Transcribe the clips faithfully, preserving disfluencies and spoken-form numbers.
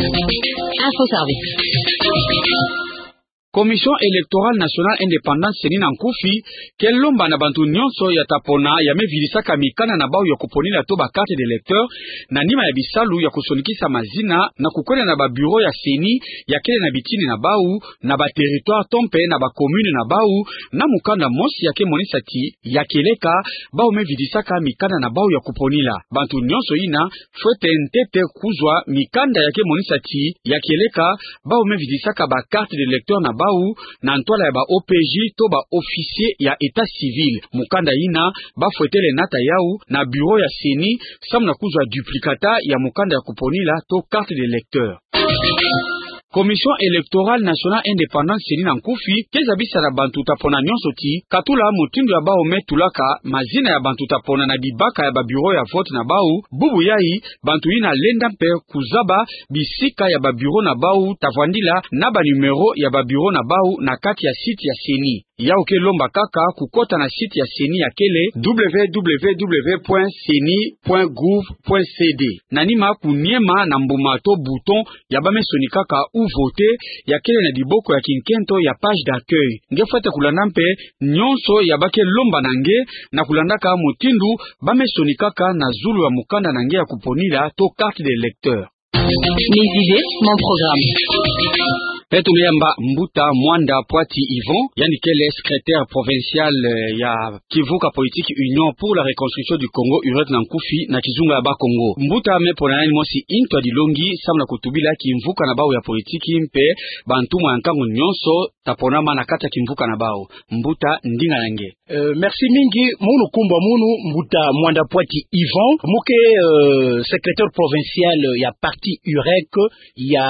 Info Service. Commission Électorale Nationale Indépendante, CENI na nkufi, ke lomba na bantu nyonso ya ta pona ya me vidisaka mikanda na bau ya kuponila to ba carte d'électeur, na nima ya bisalu ya kusonikisa mazina na kukwenda na ba bureau ya CENI ya kele na bitini na bau, na ba territoire to mpe na ba commune na bau, na mukanda mosi ya ke monisa ti ya keleka bau me vidisaka mikanda na bau ya kuponila. Bantu nyonso ina fwete ntete kuzwa mikanda ya ke monisa ti ya keleka bau me vidisaka ba carte d'électeur na bau na ntwala ya ba O P J to ba officier ya état civil. Mukanda ina ba fwetele nata yau na bureau ya CENI, samu na kuzwa duplicata ya mukanda ya kuponila to carte d'électeur. Commission Électorale Nationale Indépendante, CENI na nkufi, ke zabisa na bantu ta pona nyonso ti katula mutindu ya bau me tulaka mazina ya bantu ta pona na bibaka ya ba bureau ya vote na bau, bubu yai bantu ina lenda mpe kuzaba bisika ya ba bureau na bau ta vwandila na ba numéro ya ba bureau na bau na kati ya site ya CENI. Yau ke lomba kaka kukota na site ya CENI ya kele www point ceni point gouv point cd. Na nima kuniema na mbuma to bouton ya ba me sonikaka ou voter, ya kele na diboko ya kinkento ya page d'accueil. Nge fwete kulanda mpe nyonso ya ba ke lomba na nge, na kulandaka mutindu ba me sonikaka na zulu ya mukanda na nge ya kuponila to carte d'électeur. Mes idées, mon programme. Beto me yamba Mbuta Mwanda Pwati Yvon, yandi kele secrétaire provincial, eh, ya kimvuka politique Union pour la Reconstruction du Congo, UREC na nkufi, na kizunga ya Bakongo. Mbuta, me pona nani mosi ntu ya dilongi samu na kutubila kimvuka na bau ya politique mpe bantumwa ya nkangu nyonso ta ponama na kati ya kimvuka na bau. Mbuta, ndinga na nge. Euh, merci mingi. Munu nkumbu ya munu Mbuta Mwanda Pwati Yvon, mu ke, euh, secrétaire provincial ya parti UREC ya,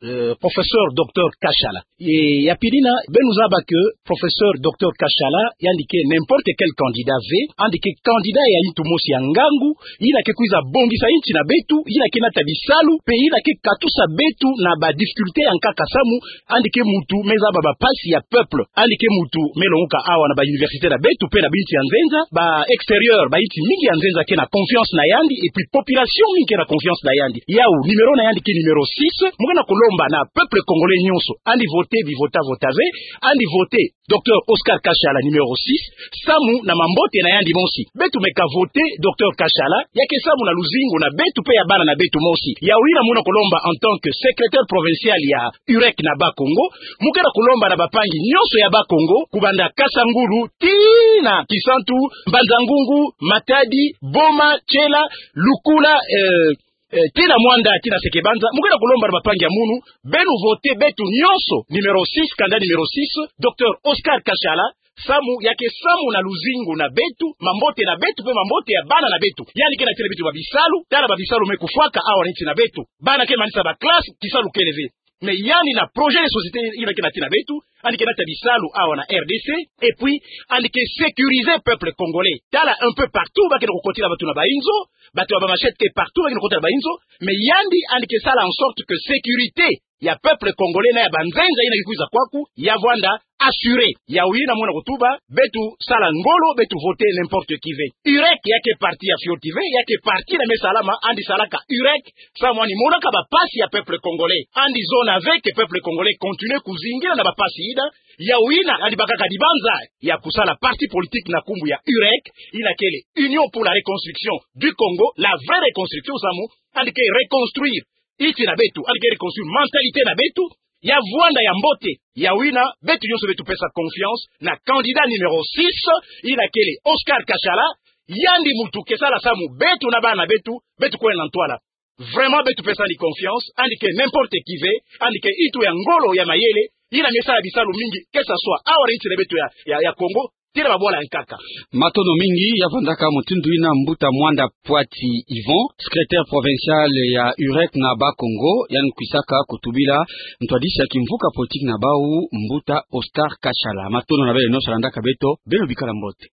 euh, professeur docteur Kashala. E, ya pili na, beno zaba que professeur docteur Kashala, yandi ke n'importe quel candidat ve, yandi ke candidat ya ntu mosi ya ngangu, yina ke kwiza bongisa insi na beto, yina ke nata bisalu, mpe yina ke katusa beto na ba difficulté ya nkaka samu, yandi ke muntu me zaba ba mpasi ya peuple, yandi ke muntu me longoka awa na ba université na beto, mpe na binsi ya nzenza, ba extérieur, ba insi mingi ya nzenza ke na confiance na yandi, et puis population mingi ke na confiance na yandi. Yau, numéro na yandi ke numéro six, mu ke na kulomba na peuple congolais nyonso, yandi voter, bi vota vota ve, yandi voter docteur Oscar Kashala numéro six, samu na mambote na yandi mosi. Beto meka voter docteur Kashala, ya ke samu na luzingu na beto mpe ya bana na beto mosi. Yau yina mu na kulomba en tant que secrétaire provincial ya UREC na Bakongo, mu ke na kulomba na bampangi nyonso ya Bakongo, kubanda Kasangulu, tii na Kisantu, Mbanza-Ngungu, Matadi, Boma, Tshela, Lukula, euh, eh, tii na Muanda, tii na Sekebanza, mu ke na kulomba na bampangi ya munu, beno voter beto nyonso, numéro six, candidat numéro six, docteur Oscar Kashala, samu ya ke samu na luzingu na beto, mambote na beto, mpe mambote ya bana na beto. Yandi ke natina beto ba bisalu, tala ba bisalu me kufwaka awa na insi na beto. Bana ke manisa ba classe, kisalu kele ve. Mais yandi na projet de société yina ke natina beto, yandi ke nata bisalu awa na R D C, et puis, yandi ke sécuriser peuple congolais. Tala un peu partout, ba ke na kukotila bato na ba inzo, bato ya ba machette ke partout, ba ke na kukotila ba inzo, mais yandi, yandi ke sala en sorte que sécurité ya peuple congolais na ya banzenza yina ke kwiza kwaku, ya vwanda assurée. Yau yina mu na kutuba, beto sala ngolo, beto voter n'importe qui ve. UREC ya ke parti ya fioti ve, ya ke parti na me salama, yandi salaka UREC, samu yandi monaka ba mpasi ya peuple congolais. Yandi zona ve que peuple congolais continue kuzingila na ba mpasi yina, yau yina yandi bakaka dibanza ya kusala parti politique na nkumbu ya UREC, yina kele Union pour la Reconstruction du Congo, la vraie reconstruction, samu yandi ke reconstruire insi na beto, yandi ke reconstruire mentalité na beto, ya vwanda ya mbote. Yau yina, beto nyonso beto pesa confiance na candidat numéro six, yina kele Oscar Kashala, yandi muntu ke sala samu beto na bana na beto, beto kwenda na ntwala. Vraiment, beto pesa yandi confiance, yandi ke n'importe qui ve, yandi ke nitu ya ngolo ya mayele, yina me sala bisalu mingi, que ça soit awa na insi na beto ya, ya, ya Congo, tii na babwala ya nkaka. Matondo mingi, ya vandaka mutindu yina Mbuta Mwanda Pwati Yvon, secrétaire provincial ya UREC na Bakongo, yandi kwisaka kutubila ntwadisi ya kimvuka politique na bau, Mbuta Oscar Kashala. Matondo na beno nyonso landaka beto, beno bikala mbote.